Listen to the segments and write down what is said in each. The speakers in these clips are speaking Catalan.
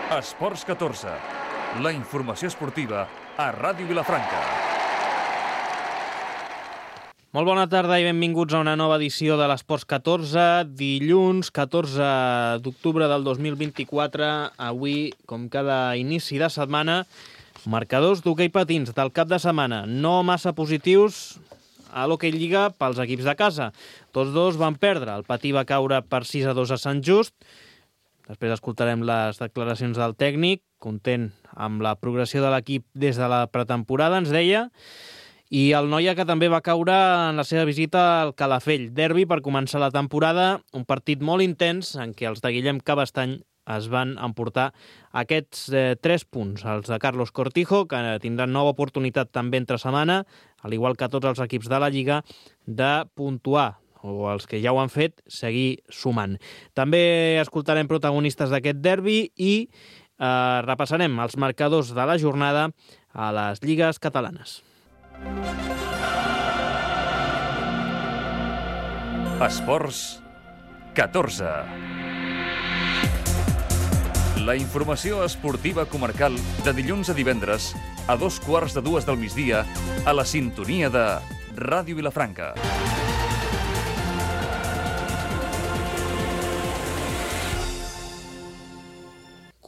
Esports 14, la informació esportiva a Ràdio Vilafranca. Molt bona tarda i benvinguts a una nova edició de l'Esports 14, dilluns 14 d'octubre del 2024. Avui, com cada inici de setmana, marcadors d'hoquei patins del cap de setmana. No massa positius a l'Hockey Lliga pels equips de casa. Tots dos van perdre. El Patí va caure per 6-2 a Sant Just. Després escoltarem les declaracions del tècnic, content amb la progressió de l'equip des de la pretemporada, ens deia. I el Noia, que també va caure en la seva visita al Calafell. Derbi per començar la temporada, un partit molt intens en què els de Guillem Cabestany es van emportar aquests 3 punts. Els de Carlos Cortijo, que tindran nova oportunitat també entre setmana, al igual que tots els equips de la Lliga, de puntuar, o els que ja ho han fet, seguir sumant. També escoltarem protagonistes d'aquest derbi i repassarem els marcadors de la jornada a les lligues catalanes. Esports 14. La informació esportiva comarcal de dilluns a divendres a 2:15 del migdia a la sintonia de Ràdio Vilafranca.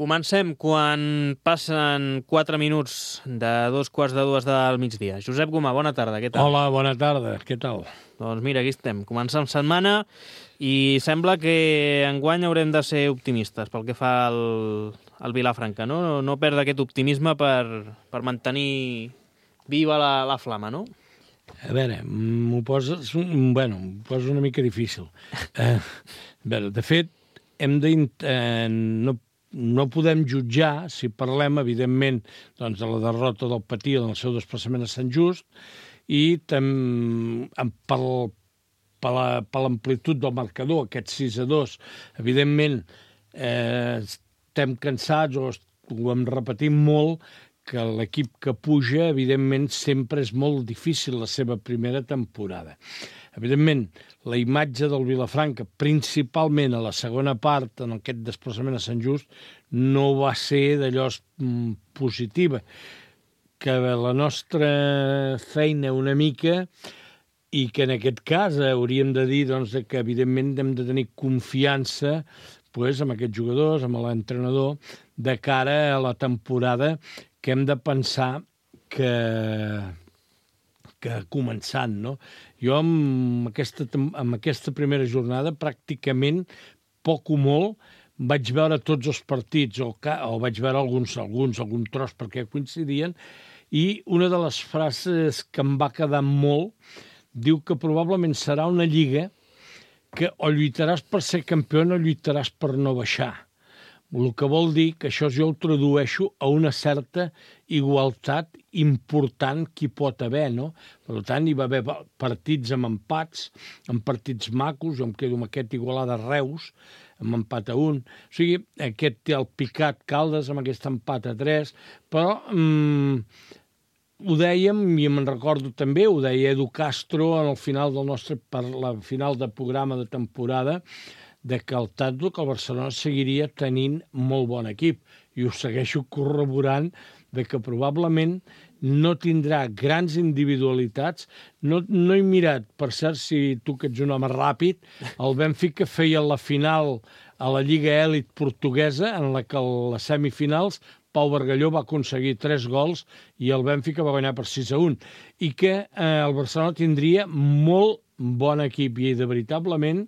Comencem quan passen 4 minuts de 2:15 del migdia. Josep Gomà, bona tarda, què tal? Hola, bona tarda, què tal? Doncs mira, aquí estem, començant setmana i sembla que enguany haurem de ser optimistes pel que fa al Vilafranca, no? No perdre aquest optimisme per mantenir viva la flama, no? A veure, m'ho poses una mica difícil. A veure, de fet, no podem jutjar, si parlem, evidentment, doncs, de la derrota del Patí en el seu desplaçament a Sant Just i per l'amplitud del marcador, aquest 6-2, evidentment, estem cansats o ho hem repetit molt, que l'equip que puja, evidentment, sempre és molt difícil la seva primera temporada. Evidentment, la imatge del Vilafranca, principalment a la segona part, en aquest desplaçament a Sant Just, no va ser d'allò positiva. Que la nostra feina una mica, i que en aquest cas hauríem de dir doncs, que evidentment hem de tenir confiança amb aquests jugadors, amb l'entrenador, de cara a la temporada que hem de pensar que començant, no? Jo amb aquesta primera jornada pràcticament poc o molt vaig veure tots els partits o vaig veure algun tros perquè coincidien, i una de les frases que em va quedar molt diu que probablement serà una lliga que o lluitaràs per ser campió o lluitaràs per no baixar. El que vol dir que això jo ho tradueixo a una certa igualtat important que hi pot haver, no? Per tant, hi va haver partits amb empats, amb partits macos, jo em quedo amb aquest Igualada-Reus, amb empat a 1. O sigui, aquest té el Picat Caldes amb aquest empat a 3, però ho dèiem, i me'n recordo també, ho deia Edu Castro per la final de programa de temporada, de que el Barcelona seguiria tenint molt bon equip, i ho segueixo corroborant, de que probablement no tindrà grans individualitats. No he mirat, per cert, si tu que ets un home ràpid, el Benfica feia la final a la Lliga Elit portuguesa, en la que a les semifinals Pau Bargalló va aconseguir 3 gols i el Benfica va guanyar per 6-1, i que el Barcelona tindria molt bon equip, i veritablement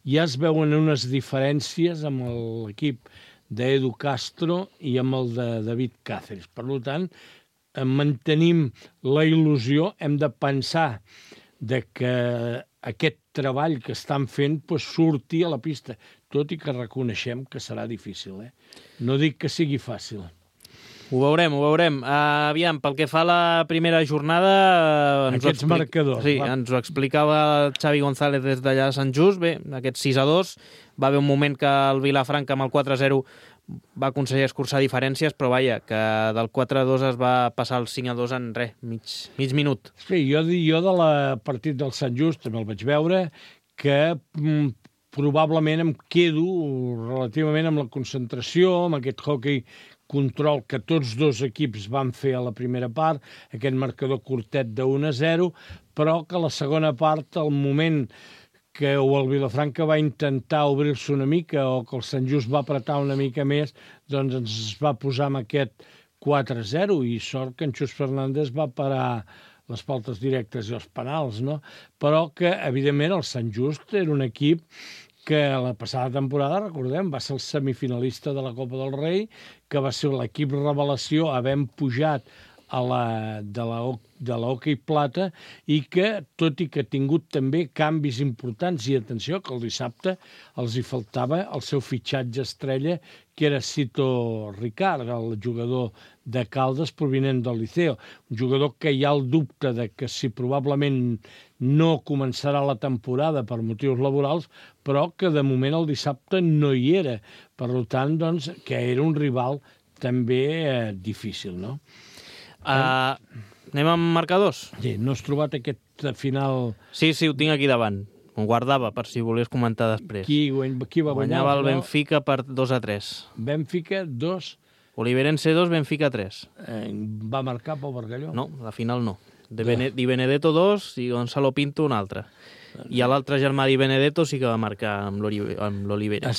ja es veuen unes diferències amb l'equip d'Edu Castro i amb el de David Cáceres. Per tant, mantenim la il·lusió, hem de pensar que aquest treball que estan fent surti a la pista, tot i que reconeixem que serà difícil. No dic que sigui fàcil. Ho veurem, ho veurem. Aviam, pel que fa a la primera jornada... Aquests marcadors. Sí, ens ho explicava Xavi González des d'allà a Sant Just. Bé, aquest 6-2, va haver un moment que el Vilafranca amb el 4-0 va aconseguir escurçar diferències, però vaja, que del 4-2 es va passar al 5-2 en res, mig minut. Sí, jo de la partit del Sant Just també el vaig veure, que probablement em quedo relativament amb la concentració, amb aquest hockey control que tots dos equips van fer a la primera part, aquest marcador curtet de 1-0, però que a la segona part, al moment que el Vilafranca va intentar obrir-se una mica o que el Sant Just va apretar una mica més, doncs ens va posar amb aquest 4-0 i sort que en Xus Fernández va parar les faltes directes i els penals, no? Però que, evidentment, el Sant Just era un equip que la passada temporada, recordem, va ser el semifinalista de la Copa del Rei, que va ser l'equip revelació havent pujat de la hoquei plata i que, tot i que ha tingut també canvis importants, i atenció, que el dissabte els hi faltava el seu fitxatge estrella, que era Cito Ricard, el jugador de Caldes provinent del Liceo. Un jugador que hi ha el dubte de que si probablement no començarà la temporada per motius laborals, però que de moment el dissabte no hi era. Per tant, doncs, que era un rival també difícil, no? Anem amb marcadors? Sí, no has trobat aquest final... Sí, ho tinc aquí davant. Ho guardava per si volies comentar després. Qui va guanyar? Guanyava el Benfica per 2-3. Benfica 2. Oliverense 2, Benfica 3. Va marcar Pau Bargalló? No, la final no. Di Benedetto 2 i Gonzalo Pinto un altre. I l'altre germà Di Benedetto sí que va marcar amb l'Olivera.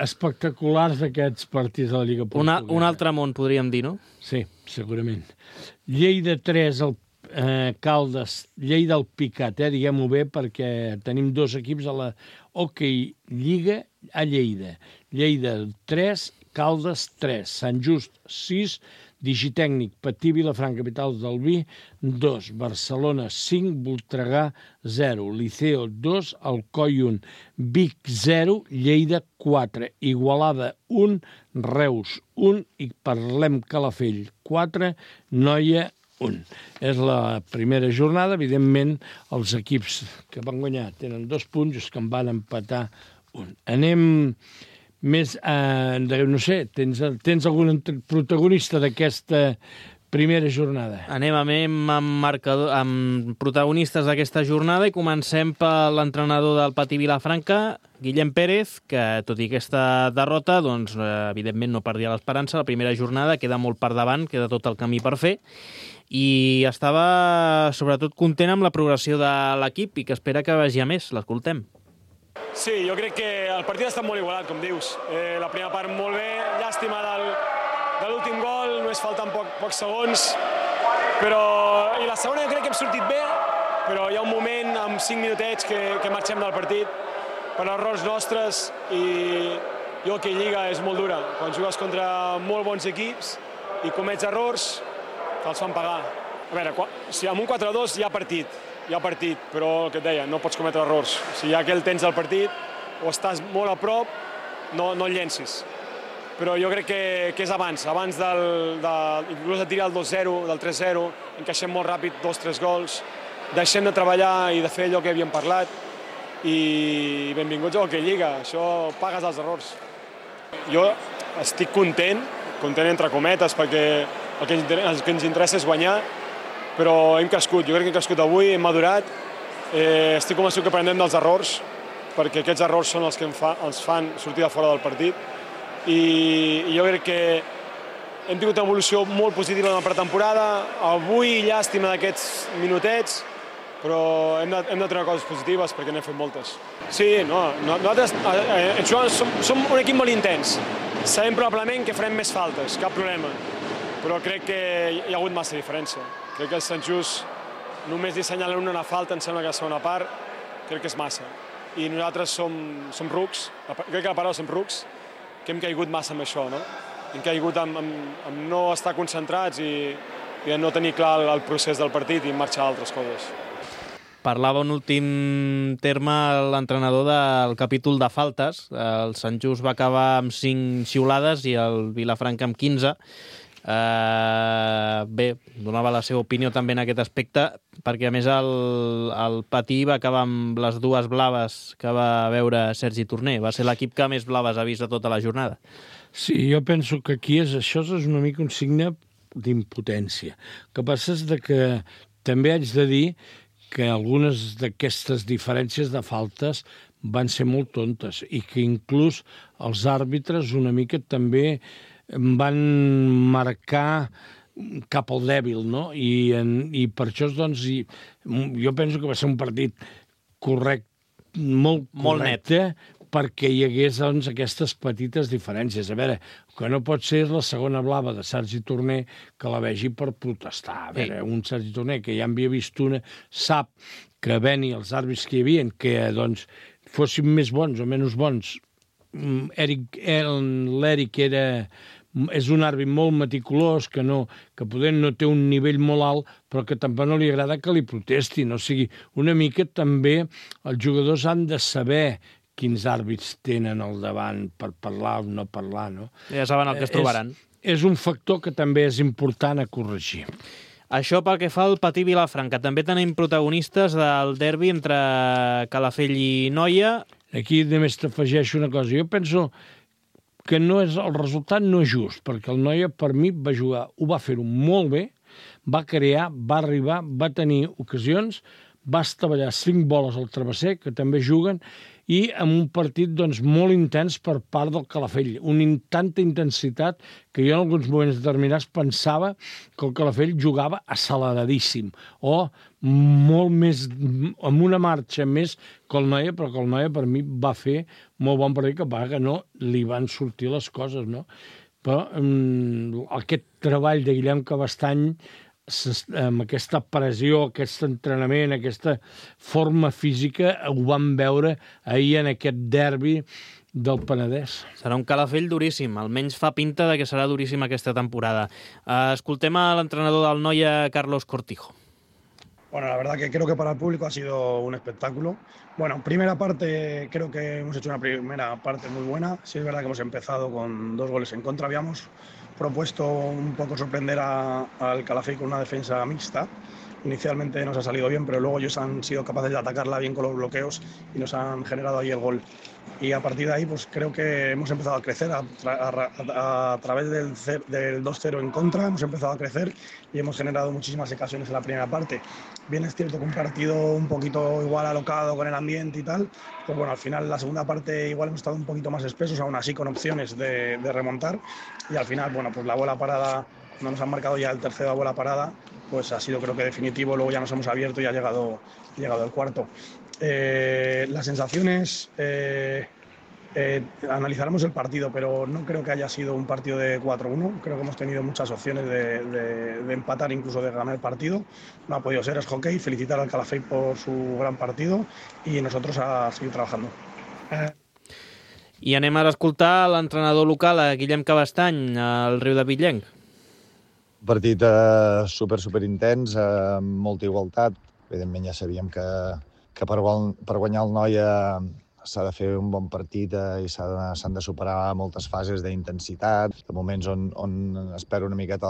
Espectaculars aquests partits de la Lliga Portuguesa. Un altre món, podríem dir, no? Sí, segurament. Lleida 3, Caldes, Lleida al Picat, diguem-ho bé, perquè tenim dos equips a la Hockey Lliga a Lleida. Lleida 3, Caldes 3, Sant Just 6, Digitècnic, Patí, Vilafranca, capital del Vi, 2, Barcelona 5, Voltregà 0, Liceo 2, Alcoi 1, Vic 0, Lleida 4, Igualada 1, Reus 1 i Parlem Calafell 4, Noia 1. És la primera jornada, evidentment els equips que van guanyar tenen 2 punts, els que en van empatar 1. Anem més, no sé, tens algun protagonista d'aquesta primera jornada? Anem amb protagonistes d'aquesta jornada i comencem per l'entrenador del Patí Vilafranca, Guillem Pérez, que tot i aquesta derrota, doncs, evidentment no perdia l'esperança. La primera jornada queda molt per davant, queda tot el camí per fer, i estava sobretot content amb la progressió de l'equip i que espera que vagi a més. L'escoltem. Sí, jo crec que el partit ha estat molt igualat, com dius. La primera part molt bé, llàstima de l'últim gol, només falten pocs segons, i la segona jo crec que hem sortit bé, però hi ha un moment, amb 5 minutets, que marxem del partit per errors nostres, i jo que Lliga és molt dura. Quan jugues contra molt bons equips i comets errors, te'ls fan pagar. A veure, si amb un 4-2 hi ha partit, però el que et deia, no pots cometre errors. Si ja que el tens al partit, o estàs molt a prop, no el llencis. Però jo crec que és abans inclús de tirar el 2-0, del 3-0, encaixem molt ràpid 2-3 gols, deixem de treballar i de fer allò que havíem parlat, i benvinguts a Hockey Lliga, això pagues els errors. Jo estic content entre cometes, perquè el que ens interessa és guanyar, però hem crescut, jo crec que hem crescut avui, hem madurat, estic convençut que aprendem dels errors, perquè aquests errors són els que ens fan sortir de fora del partit, i jo crec que hem tingut una evolució molt positiva en la pretemporada, avui llàstima d'aquests minutets, però hem de treure coses positives perquè n'hem fet moltes. Sí, nosaltres som un equip molt intens, sabem probablement que farem més faltes, cap problema, però crec que hi ha hagut massa diferència. Crec que el Sant Just només li assenyalen una falta, em sembla que la segona part, crec que és massa. I nosaltres som rucs, crec que la paraula som rucs, que hem caigut massa amb això, no? Hem caigut amb no estar concentrats i no tenir clar el procés del partit i marxar a altres coses. Parlava un últim terme l'entrenador del capítol de faltes. El Sant Just va acabar amb 5 xiulades i el Vilafranca amb 15. Bé, donava la seva opinió també en aquest aspecte, perquè a més el Patí va acabar amb les 2 blaves que va veure Sergi Torner. Va ser l'equip que més blaves ha vist de tota la jornada. Sí, jo penso que aquí això és una mica un signe d'impotència. El que passa és que també haig de dir que algunes d'aquestes diferències de faltes van ser molt tontes i que inclús els àrbitres una mica també van marcar cap al dèbil, no? I per això, doncs, jo penso que va ser un partit correcte, molt correcte, perquè hi hagués, doncs, aquestes petites diferències. A veure, que no pot ser la segona blava de Sergi Torner que la vegi per protestar. A veure, un Sergi Torner que ja en havia vist una, sap que Beni, els àrbits que hi havia, que, doncs, fossin més bons o menys bons. L'Eric és un àrbit molt meticulós, que poder no té un nivell molt alt, però que tampoc no li agrada que li protestin. O sigui, una mica també els jugadors han de saber quins àrbits tenen al davant per parlar o no parlar, no? Ja saben el que es trobaran. És un factor que també és important a corregir. Això pel que fa al Patí Vilafranca. També tenim protagonistes del derbi entre Calafell i Noia. Aquí només t'afegeixo una cosa. Jo penso que el resultat no és just, perquè el Noia, per mi, va jugar, ho va fer-ho molt bé, va crear, va arribar, va tenir ocasions, va estavellar 5 boles al travesser, que també juguen, i amb un partit, doncs, molt intens per part del Calafell. Tanta intensitat que jo en alguns moments determinats pensava que el Calafell jugava acceleradíssim o molt més, amb una marxa més que el Noia, però que el Noia per mi va fer molt bon partit, que no li van sortir les coses, no? Però aquest treball de Guillem Cabestany, amb aquesta pressió, aquest entrenament, aquesta forma física, ho vam veure ahir en aquest derbi del Penedès. Serà un Calafell duríssim, almenys fa pinta de que serà duríssim aquesta temporada. Escoltem a l'entrenador del Noia, Carlos Cortijo. Bueno, la verdad que creo que para el público ha sido un espectáculo. Bueno, primera parte, creo que hemos hecho una primera parte muy buena. Sí es verdad que hemos empezado con 2 goles en contra. Habíamos propuesto un poco sorprender al Calafell con una defensa mixta. Inicialmente nos ha salido bien, pero luego ellos han sido capaces de atacarla bien con los bloqueos y nos han generado ahí el gol. Y a partir de ahí, pues creo que hemos empezado a crecer a través del 2-0 en contra, hemos empezado a crecer y hemos generado muchísimas ocasiones en la primera parte. Bien es cierto que un partido un poquito igual alocado con el ambiente y tal, pues bueno, al final la segunda parte igual hemos estado un poquito más espesos, aún así con opciones de remontar, y al final, bueno, pues la bola parada, no nos han marcado ya el tercero a bola parada, pues ha sido creo que definitivo, luego ya nos hemos abierto y ha llegado el cuarto. Las sensaciones, analizaremos el partido, pero no creo que haya sido un partido de 4-1, creo que hemos tenido muchas opciones de empatar, incluso de ganar el partido, no ha podido ser, es hockey, felicitar al Calafell por su gran partido y nosotros a seguir trabajando. I anem ara a escoltar l'entrenador local, Guillem Cabestany, al Riu de Bitllenc. Partit super intens, amb molta igualtat. Evidentment ja sabíem que per guanyar el Noia s'ha de fer un bon partit i s'han de superar moltes fases d'intensitat, de moments on espera una miqueta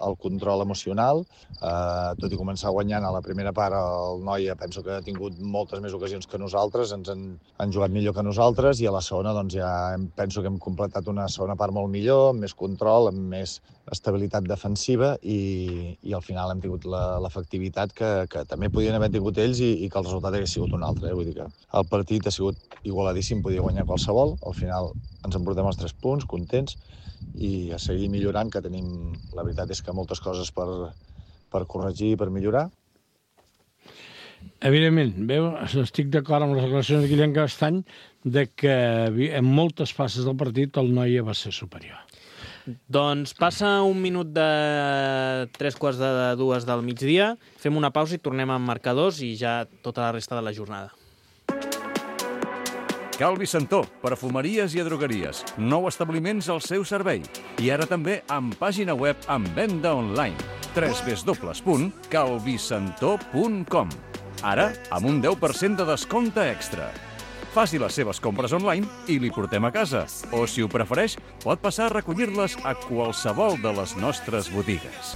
el control emocional. Tot i començar guanyant a la primera part, el Noia penso que ha tingut moltes més ocasions que nosaltres, ens han jugat millor que nosaltres, i a la segona doncs, ja penso que hem completat una segona part molt millor, amb més control, amb més estabilitat defensiva, i al final hem tingut l'efectivitat que també podien haver tingut ells i que el resultat hagués sigut un altre. Vull dir que el partit ha sigut igualadíssim, podia guanyar qualsevol. Al final ens emportem els 3 punts, contents, i a seguir millorant, que tenim, la veritat és que moltes coses per corregir i per millorar. Evidentment, estic d'acord amb les declaracions de Guillem Cabestany de que en moltes fases del partit el Noia va ser superior. Doncs passa un minut de 3:45 del migdia, fem una pausa i tornem amb marcadors i ja tota la resta de la jornada. Calvi Santó, perfumeries i drogueries. 9 establiments al seu servei. I ara també amb pàgina web amb venda online. www.calvisantó.com. Ara amb un 10% de descompte extra. Faci les seves compres online i li portem a casa. O, si ho prefereix, pot passar a recollir-les a qualsevol de les nostres botigues.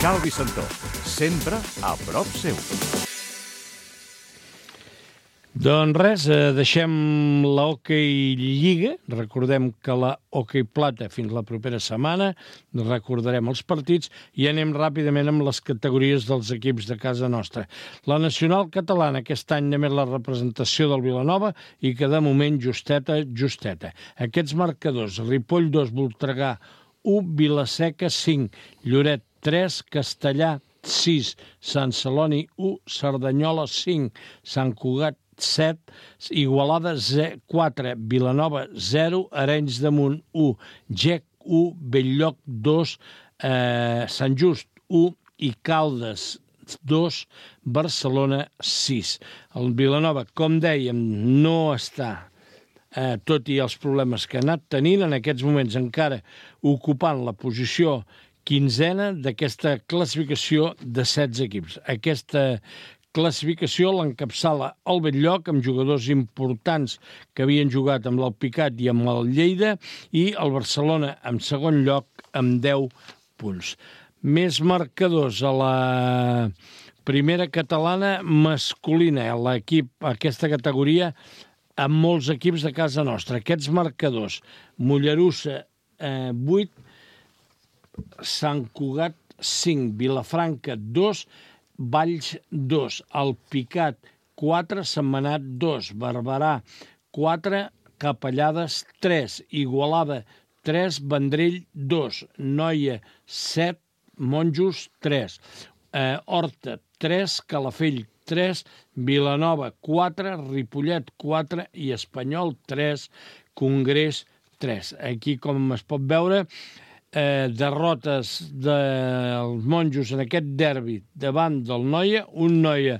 Calvi Santó, sempre a prop seu. Doncs res, deixem la Hockey Lliga, recordem que la Hockey Plata fins la propera setmana, recordarem els partits i anem ràpidament amb les categories dels equips de casa nostra. La Nacional Catalana aquest any només la representació del Vilanova i que de moment justeta. Aquests marcadors, Ripoll 2, Voltregà 1, Vilaseca 5, Lloret 3, Castellà 6, Sant Celoni 1, Cerdanyola 5, Sant Cugat 7, Igualada 4, Vilanova 0, Arenys de Munt 1, Gec 1, Belllloc 2, Sant Just 1 i Caldes 2, Barcelona 6. El Vilanova, com dèiem, no està, tot i els problemes que ha anat tenint, en aquests moments encara ocupant la posició 15ena d'aquesta classificació de 16 equips. Aquesta classificació l'encapçala el Belllloc amb jugadors importants que havien jugat amb l'Alpicat i amb el Lleida i el Barcelona en segon lloc amb 10 punts. Més marcadors a la primera catalana masculina, l'equip, aquesta categoria, amb molts equips de casa nostra. Aquests marcadors, Mollerussa 8, Sant Cugat 5, Vilafranca 2, Valls 2, Alpicat 4, Sentmenat 2, Barberà 4, Capellades 3, Igualada 3, Vendrell 2, Noia 7, Monjos 3, Horta 3, Calafell 3, Vilanova 4, Ripollet 4 i Espanyol 3, Congrés 3. Aquí, com es pot veure, derrotes dels Monjos en aquest derbi davant del Noia, un Noia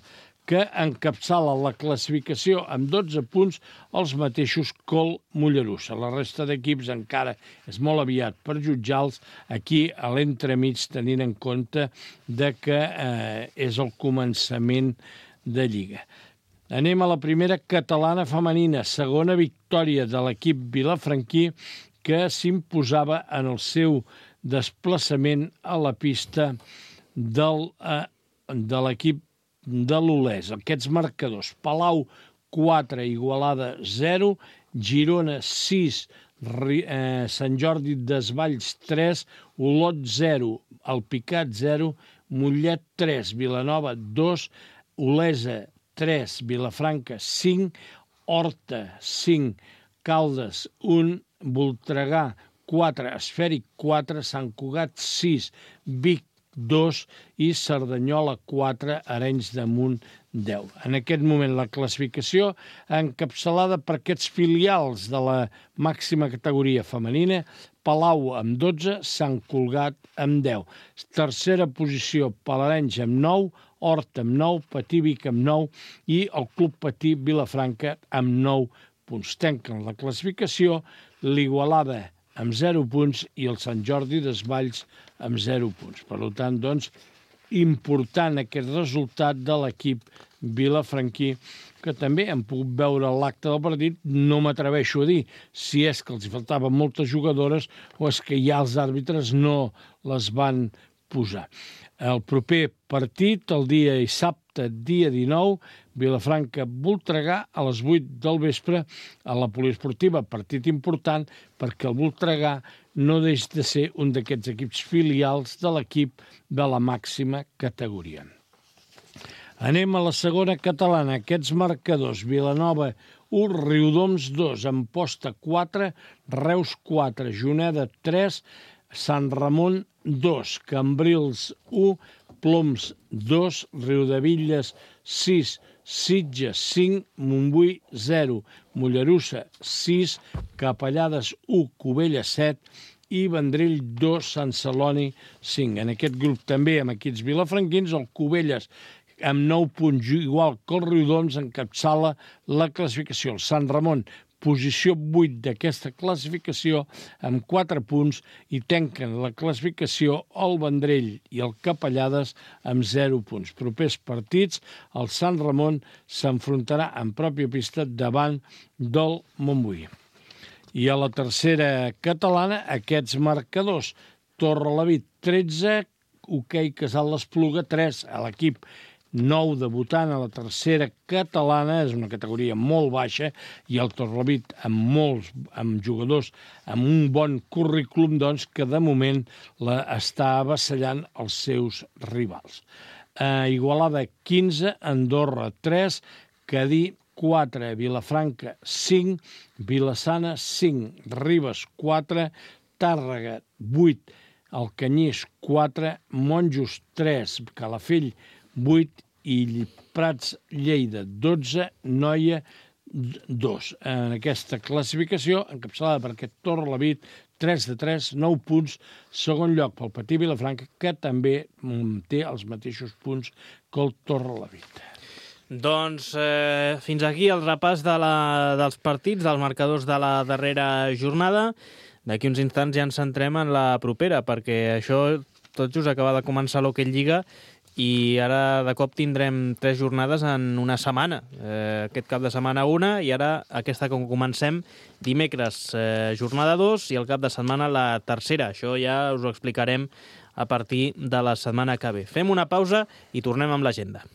que encapçala la classificació amb 12 punts, els mateixos que el Mollerussa. La resta d'equips encara és molt aviat per jutjar-los aquí a l'entremig, tenint en compte de que és el començament de Lliga. Anem a la primera catalana femenina, segona victòria de l'equip vilafranquí, que s'imposava en el seu desplaçament a la pista de l'equip de l'Olès. Aquests marcadors, Palau 4, Igualada 0, Girona 6, Sant Jordi Desvalls 3, Olot 0, Alpicat 0, Mollet 3, Vilanova 2, Olesa 3, Vilafranca 5, Horta 5, Caldes 1, Voltregà 4, Esfèric 4, Sant Cugat 6, Vic 2 i Cerdanyola 4, Arenys de Munt 10. En aquest moment la classificació encapçalada per aquests filials de la màxima categoria femenina, Palau amb 12, Sant Cugat amb 10. Tercera posició, Palarenys amb 9, Horta amb 9, Patí Vic amb 9 i el Club Patí Vilafranca amb 9 punts. Tanquen la classificació l'Igualada amb 0 punts i el Sant Jordi Desvalls amb 0 punts. Per tant, doncs, important aquest resultat de l'equip vilafranquí, que també hem pogut veure l'acte del partit, no m'atreveixo a dir si és que els faltaven moltes jugadores o és que ja els àrbitres no les van posar. El proper partit, el dia dissabte, dia 19, Vilafranca-Voltregà a les 8 del vespre a la poliesportiva. Partit important perquè el Voltregà no deixa de ser un d'aquests equips filials de l'equip de la màxima categoria. Anem a la segona catalana. Aquests marcadors, Vilanova 1, Riudoms 2, Amposta 4, Reus 4, Juneda 3, Sant Ramon 2, Cambrils 1, Ploms 2, Riudevilles 6, Sitges 5, Montbui 0, Mollerussa 6, Capellades 1, Cubelles 7 i Vendrell 2, Sant Celoni 5. En aquest grup també amb equips vilafranquins, el Cubelles amb 9 punts, igual que el Riudoms, encapçala la classificació. El Sant Ramon, posició 8 d'aquesta classificació, amb 4 punts, i tanquen la classificació el Vendrell i el Capellades amb 0 punts. Propers partits, el Sant Ramon s'enfrontarà en pròpia pista davant del Montbui. I a la tercera catalana, aquests marcadors. Torrelavit 13, Hoquei Casal l'Espluga 3, a l'equip nou debutant a la tercera catalana, és una categoria molt baixa, i el Torrelavit amb jugadors amb un bon currículum, doncs, que de moment està avassallant els seus rivals. Igualada 15, Andorra 3, Cadí 4, Vilafranca 5, Vila-sana 5, Ribes 4, Tàrrega 8, Alcanyís 4, Monjos 3, Calafell 8 i Prats Lleida 12, Noia 2. En aquesta classificació, encapçalada per aquest Torrelavit, 3 de 3, 9 punts, segon lloc pel Patí Vilafranca, que també té els mateixos punts que el Torrelavit. Doncs fins aquí el repàs dels partits, dels marcadors de la darrera jornada. D'aquí uns instants ja ens centrem en la propera, perquè això tot just acaba de començar l'Hockey Lliga i ara de cop tindrem 3 jornades en una setmana. Aquest cap de setmana una i ara aquesta com comencem dimecres jornada 2 i el cap de setmana la tercera. Això ja us ho explicarem a partir de la setmana que ve. Fem una pausa i tornem amb l'agenda.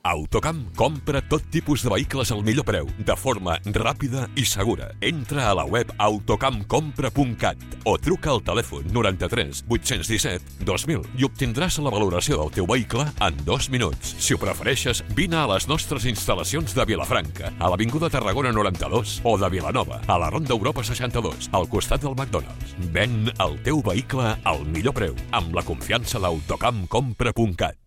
Autocamp compra tot tipus de vehicles al millor preu, de forma ràpida i segura. Entra a la web autocampcompra.cat o truca al telèfon 93 817 2000 i obtindràs la valoració del teu vehicle en 2 minuts. Si ho prefereixes, vine a les nostres instal·lacions de Vilafranca, a l'Avinguda Tarragona 92 o de Vilanova, a la Ronda Europa 62, al costat del McDonald's. Ven el teu vehicle al millor preu, amb la confiança d'autocampcompra.cat.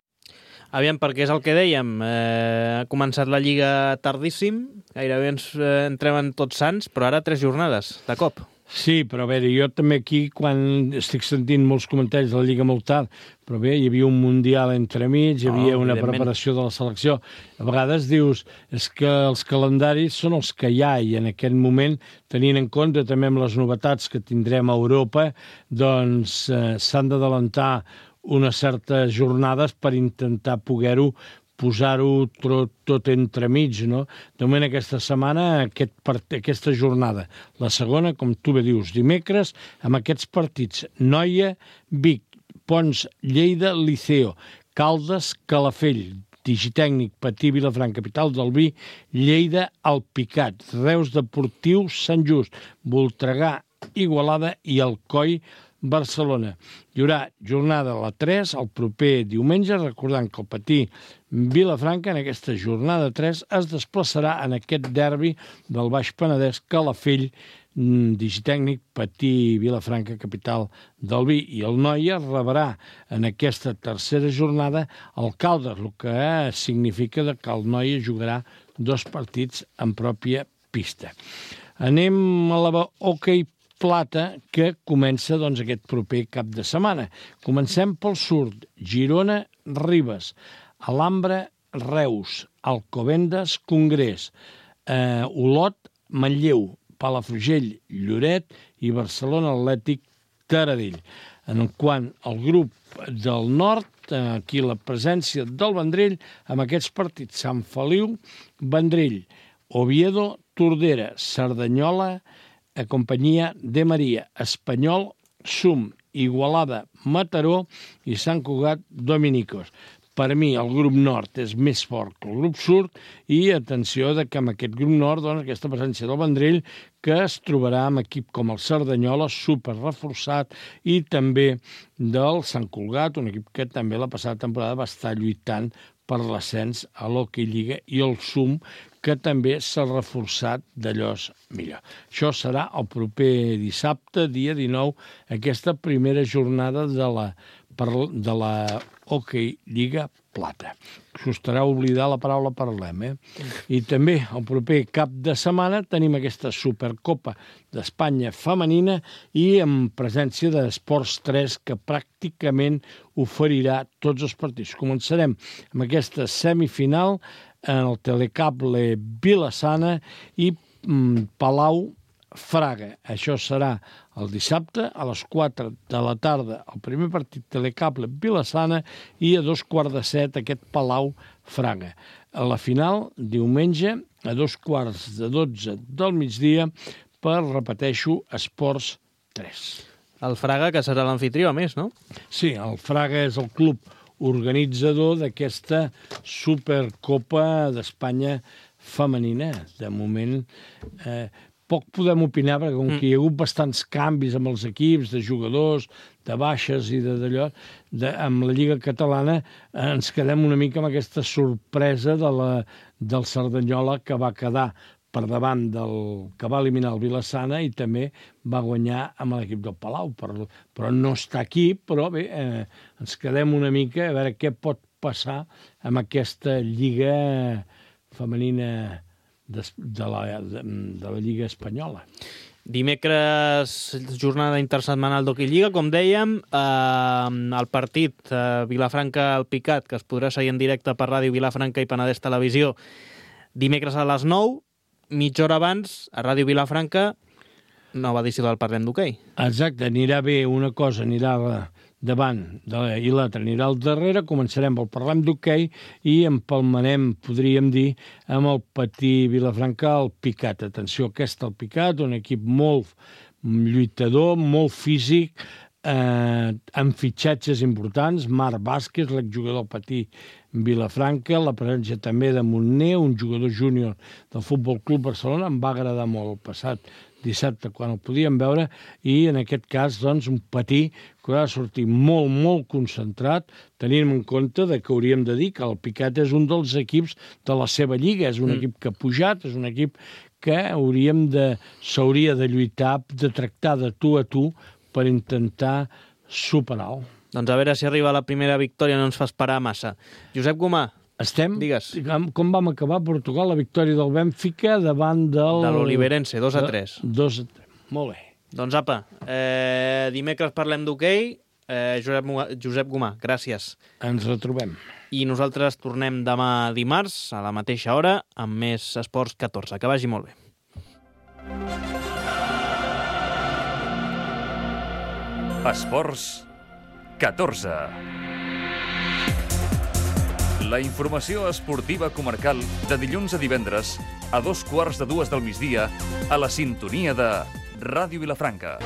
Aviam, perquè és el que dèiem, ha començat la Lliga tardíssim, gairebé ens entrem en Tots Sants, però ara 3 jornades, de cop. Sí, però a veure, jo també aquí, quan estic sentint molts comentaris de la Lliga molt tard, però bé, hi havia un Mundial entremig, hi havia una preparació de la selecció. A vegades dius, és que els calendaris són els que hi ha, i en aquest moment, tenint en compte també amb les novetats que tindrem a Europa, doncs s'han d'adelantar unes certes jornades per intentar poder-ho posar-ho tot entremig, no? De moment aquesta setmana, aquesta jornada, la segona, com tu bé dius, dimecres, amb aquests partits, Noia, Vic, Pons, Lleida, Liceo, Caldes, Calafell, Digitècnic, Patí, Vilafranca, Capital del Vi, Lleida, Alpicat, Reus Deportiu, Sant Just, Voltregà, Igualada i Alcoi, Barcelona. Hi haurà jornada a la 3, el proper diumenge, recordant que el Patí Vilafranca en aquesta jornada 3 es desplaçarà en aquest derbi del Baix Penedès, Calafell, Digitècnic, Patí Vilafranca, Capital del Vi, i el Noia rebrà en aquesta tercera jornada el Caldes, el que significa que el Noia jugarà 2 partits en pròpia pista. Anem a la Hockey Plata, que comença doncs, aquest proper cap de setmana. Comencem pel sud, Girona, Ribes, Alhambra, Reus, Alcobendas, Congrés, Olot, Manlleu, Palafrugell, Lloret i Barcelona Atlètic, Taradell. En quant al grup del nord, aquí la presència del Vendrell, amb aquests partits, Sant Feliu, Vendrell, Oviedo, Tordera, Cerdanyola, a companyia de Maria, Espanyol, Sum, Igualada, Mataró i Sant Cugat, Dominicos. Per mi, el grup nord és més fort que el grup sud i atenció que amb aquest grup nord, doncs, aquesta presència del Vendrell, que es trobarà amb equip com el Cerdanyola, super reforçat, i també del Sant Cugat, un equip que també la passada temporada va estar lluitant per l'ascens a l'Hockey Lliga, i el Sum, que també s'ha reforçat d'allòs millor. Això serà el proper dissabte, dia 19, aquesta primera jornada de la Hockey Lliga Plata. Costarà oblidar la paraula parlem, I també el proper cap de setmana tenim aquesta Supercopa d'Espanya femenina i amb presència d'Esports 3, que pràcticament oferirà tots els partits. Començarem amb aquesta semifinal en el Telecable Vila-sana i Palau Fraga. Això serà el dissabte a les 4 de la tarda, el primer partit Telecable Vila-sana, i a 7:15 aquest Palau Fraga. A la final, diumenge, a 11:45 del migdia, per, repeteixo, Esports 3. El Fraga, que serà l'anfitrió, a més, no? Sí, el Fraga és el club organitzador d'aquesta Supercopa d'Espanya femenina. De moment, poc podem opinar, perquè com que hi ha hagut bastants canvis amb els equips, de jugadors, de baixes i d'allò, amb la Lliga Catalana ens quedem una mica amb aquesta sorpresa del Cerdanyola, que va quedar per davant que va eliminar el Vilassana i també va guanyar amb l'equip del Palau. Però no està aquí, però bé, ens quedem una mica a veure què pot passar amb aquesta Lliga femenina de la Lliga Espanyola. Dimecres, jornada intersetmanal d'Hockey Lliga, com dèiem, el partit Vilafranca-Alpicat, que es podrà seguir en directe per Ràdio Vilafranca i Penedès Televisió, dimecres a les 9, mitja hora abans, a Ràdio Vilafranca, nova edició del Parlem d'Hoquei. Exacte, anirà bé una cosa, anirà davant i l'altra anirà al darrere. Començarem pel Parlem d'Hoquei i empalmarem, podríem dir, amb el Patí Vilafranca al Picat. Atenció, aquest al Picat, un equip molt lluitador, molt físic, amb fitxatges importants. Marc Vázquez, l'exjugador del Patí Vilafranca, la presència també de Montner, un jugador júnior del Futbol Club Barcelona. Em va agradar molt el passat dissabte quan el podíem veure, i en aquest cas doncs, un Patí que ha de sortir molt, molt concentrat, tenint en compte que hauríem de dir que el Picat és un dels equips de la seva lliga, és un equip que ha pujat, és un equip que s'hauria de lluitar, de tractar de tu a tu per intentar superar-ho. Doncs a veure si arriba la primera victòria, no ens fa esperar massa. Josep Gomà, digues. Com vam acabar a Portugal? La victòria del Bènfica davant de l'Oliverense, 2-3. 2-3. Molt bé. Doncs apa, dimecres parlem d'hoquei. Josep Gomà, gràcies. Ens retrobem. I nosaltres tornem demà dimarts, a la mateixa hora, amb més Esports 14. Que vagi molt bé. Esports 14. La informació esportiva comarcal de dilluns a divendres a 2:15 del migdia a la sintonia de Ràdio Vilafranca.